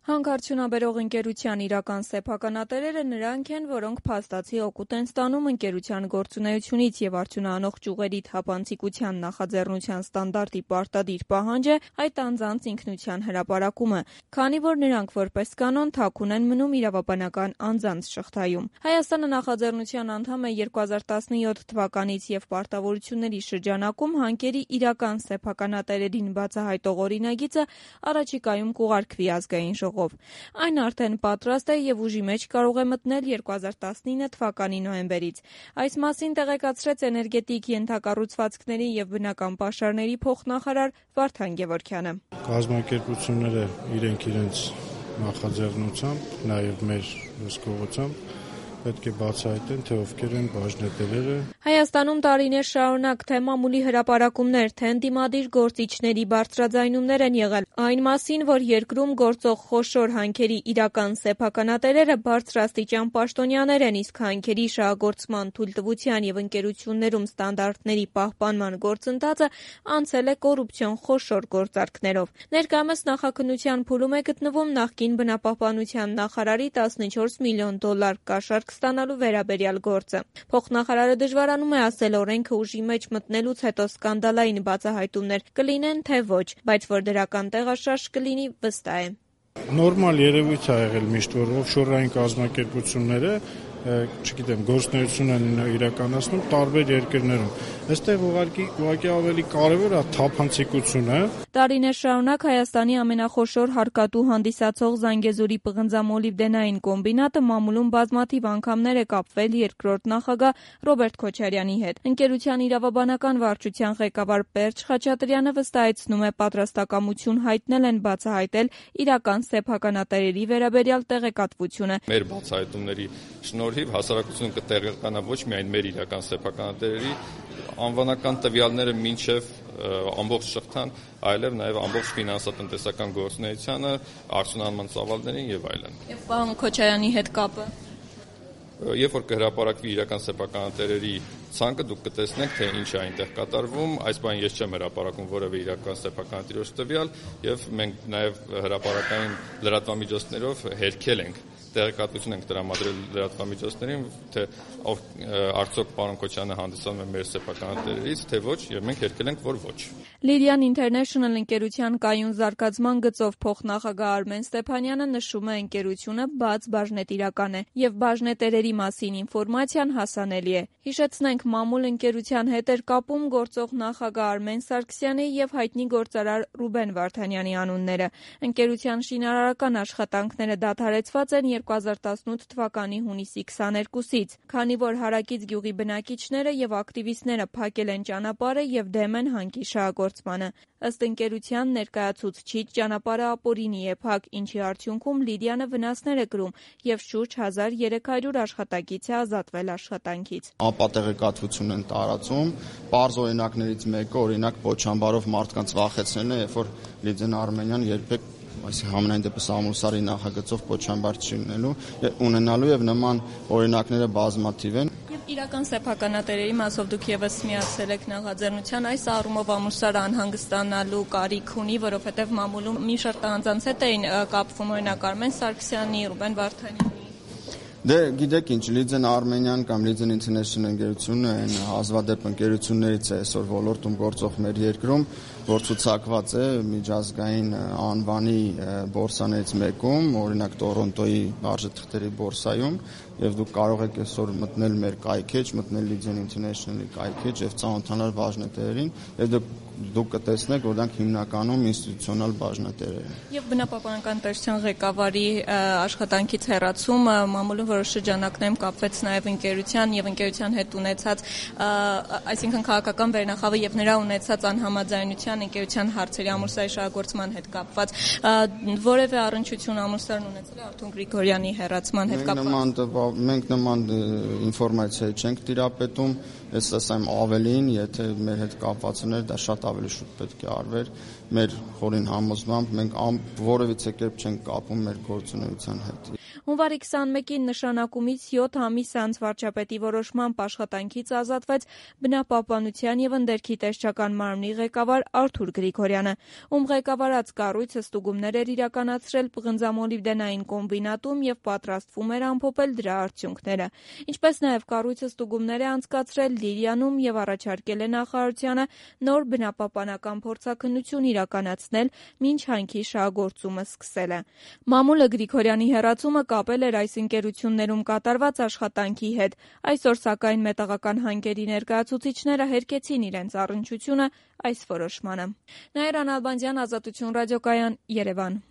Հանքարդյունաբերող ընկերության իրական սեփականատերերը նրանք են, որոնք փաստացի օգուտ են ստանում ընկերության գործունեությունից եւ արդյունահանող ճյուղերի թափանցիկության նախաձեռնության ստանդարտի պարտադիր պահանջ է այդ անձանց ինքնության հրապարակումը, քանի որ նրանք որպես կանոն թաքուն են մնում իրավաբանական անձանց շղթայում։ Հայաստանը նախաձեռնության անդամ է 2017 թվականից եւ պարտավորությունների շրջանակում հանքերի իրական սեփականատերերին բացահայտող օրինագիծը առաջիկայում կուղարկվի ազգային ժողով։ Այն արդեն պատրաստ է եւ ուժի մեջ կարող է մտնել 2019 թվականի նոյեմբերից։ Այս մասին տեղեկացրեց էներգետիկ ենթակառուցվածքների եւ բնական պաշարների փոխնախարար Վարդան Գևորգյանը։ Կազմակերպությունները իրենց նախաձեռնությամբ, նաեւ մեր հսկողությամբ պետք է բացահայտեն, թե ովքեր են բաժնետերերը։ Հայաստանում տարիներ շարունակ թե մամուլի հրապարակումներ, թե ընդդիմադիր գործիչների բարձրաձայնումներ են եղել այն մասին, որ երկրում գործող խոշոր հանքերի իրական սեփականատերերը բարձրաստիճան պաշտոնյաներ են, իսկ հանքերի շահագործման թույլտվության եւ ընկերություններում ստանդարտների պահպանման գործընթացը անցել է կոռուպցիոն խոշոր գործարքներով։ Ներկայումս նախաքննության փուլում է գտնվում նախկին բնապահպանության նախարարի $14 միլիոն կաշառք ստանալու վերաբերյալ գործը։ Փոխնախարարը դժվարանում է ասել օրենքը ուժի մեջ մտնելուց հետո սկանդալային բացահայտումներ կլինեն, թե ոչ, բայց որ դրական տեղաշարժ կլինի, վստահ է։ Նորմալ երևույթ է եղել միշտ, որ օֆշորային կազմակերպությունները գործունեություն են իրականացնում տարբեր երկրներում։ Այստեղ ուղղակի ավելի կարևոր է թափանցիկությունը։ Տարիներ շարունակ Հայաստանի ամենախոշոր հարկատու հանդիսացող Զանգեզուրի պղնձամոլիբդենային կոմբինատը մամուլում բազմաթիվ անգամներ է կապվել երկրորդ նախագահ Ռոբերտ Քոչարյանի հետ։ Ընկերության իրավաբանական վարչության ղեկավար Պերճ Խաչատրյանը վստահեցնում է, պատրաստակամություն հայտնել են բացահայտել իրական սեփականատերերի վերաբերյալ տեղեկատվությունը։ Մեր բացահայտումների շնորհիվ հասարակությունը կտեղեկանա ոչ միայն մեր իրական սեփականատերերի անվանական տվյալները մինչև ամբողջ շղթան, այլև նաև ամբողջ ֆինանսատնտեսական գործունեությանը, արդյունահանման ծավալներին եւ այլն։ Եվ պարոն Քոչարյանի հետ կապը։ Երբ որ կհրապարակվի իրական սեփականատերերի ցանկը, դուք կտեսնեք, թե ինչ է այնտեղ կատարվում։ Այս բանը ես չեմ հրապարակում որևէ իրական սեփականատիրոջ տվյալ, եւ մենք նաև հրապարակային լրատվամիջոցներով հերքել ենք տեղեկատվություն ենք տրամադրել լրատվամիջոցներին, թե արդյոք պարոն Քոչյանը հանդիսանում է մեր սեփականատերերից, թե ոչ, եւ մենք հերքել ենք, որ ոչ։ Lyrian International ընկերության կայուն զարգացման գծով փոխնախագահ Արմեն Ստեփանյանը նշում է, ընկերությունը բաց բաժնետիրական է եւ բաժնետերերի մասին ինֆորմացիան հասանելի է։ Հիշեցնենք, մամուլ ընկերության հետ էր կապում գործող նախագահ Արմեն Սարգսյանի եւ հայտնի գործարար Ռուբեն Վարդանյանի անունները։ Ընկերության շինարարական աշխատանքները դադարեցված են 2018 թվականի հունիսի 22-ից, քանի որ Հարակից գյուղի բնակիչները եւ ակտիվիստները փակել են ճանապարհը եւ դեմ են հանքի շահագործմանը։ Ըստ ընկերության ներկայացուցչի ճանապարհը ապօրինի է փակ, ինչի արդյունքում Լիդիանը վնասներ է կրում եւ շուրջ 1300 աշխատակից է ազատվել աշխատանքից։ Ապատեղեկատվություն են տարածում, պարզ օրինակներից մեկը օրինակ Պոչամբարով մարդկանց վախեցնելն է, երբ որ Լիդիան Արմենյան երբեք համենայն դեպս Ամուլսարի նախագծով Պոչամբար չի ունենալու եւ նման օրինակները բազմաթիվ են։ Եվ իրական սեփականատերերի մասով դուք եւս միացել եք նախաձեռնության, այս առումով Ամուլսարը անհանգստանալու կարիք ունի, որովհետեւ մամուլում մի շարք անձանց հետ էին կապվում, օրինակ Արմեն Սարգսյանի, Ռուբեն Վարդանյանի։ Դե գիտեք ինչ, Լիդիան Արմենյան կամ Լիդիան International ընկերությունը այն հազվադեպ ընկերություններից է այսօր ոլորտում գործող մեր երկրում, որ ցուցակված է միջազգային անվանի բորսաներից մեկում, օրինակ Տորոնտոյի արժեթղթերի բորսայում, եւ դուք կարող եք այսօր մտնել մեր կայքեջ, մտնել Լիդիան International-ի կայքեջ եւ ծանոթանալ բաժնետերերին, եւ դուք կտեսնեք, որ դրանք հիմնականում ինստիտուցիոնալ բաժնետերեր են։ Եվ բնապահպանական պետության ղեկավարի աշխատանքից հեռացումը մամուլում որոշ շրջանակներում կապվեց նաև ընկերության եւ ընկերության հետ ունեցած, այսինքն քաղաքական վերնախավը եւ նրա ունեցած անհամաձայնության ընկերության հարցերի Ամուլսարի շահագործման հետ կապված, որևէ առնչություն Ամուլսարն ունեցել է Արթուր Գրիգորյանի հեռացման հետ կապված։ Մենք նման ինֆորմացիա չենք տիրապետում, ես ասեմ ավելին, եթե մեր հետ կապվածներ դա շատ ավելի շուտ պետք է արվեր, մեր խորին համոզմամբ մենք որևիցե կերպ չենք կապում մեր գործունեության հետ։ Հունվարի 21-ին նշանակումից 7 ամիս անց վարչապետի որոշմամբ աշխատանքից ազատվեց բնապահպանության և ընդերքի տեսչական մարմնի ղեկավար Արթուր Գրիգորյանը, ում ղեկավարած կառույցը ստուգումներ էր իրականացրել պղնձամոլիբդենային կոմբինատում և պատրաստվում էր ամփոփել դրա արդյունքները։ Ինչպես նաև կառույցը ստուգումներ է անցկացրել Լիրյանում և առաջարկել է նախարարությանը նոր բնապահպանական փորձաքննություն իրականացնել, մինչ հանքի շահագործումը սկսելը։ Մամուլը Գրիգորյանի հեռացումը կապել էր այս ընկերություններում կատարված աշխատանքի հետ։ Այսօր, սակայն, մետաղական հանքերի ներկայացուցիչները հերկեցին իրենց առնչությունը այս որոշմանը։ Նաիրա Նալբանդյան, Ազատություն ռադիոկայան, Երևան։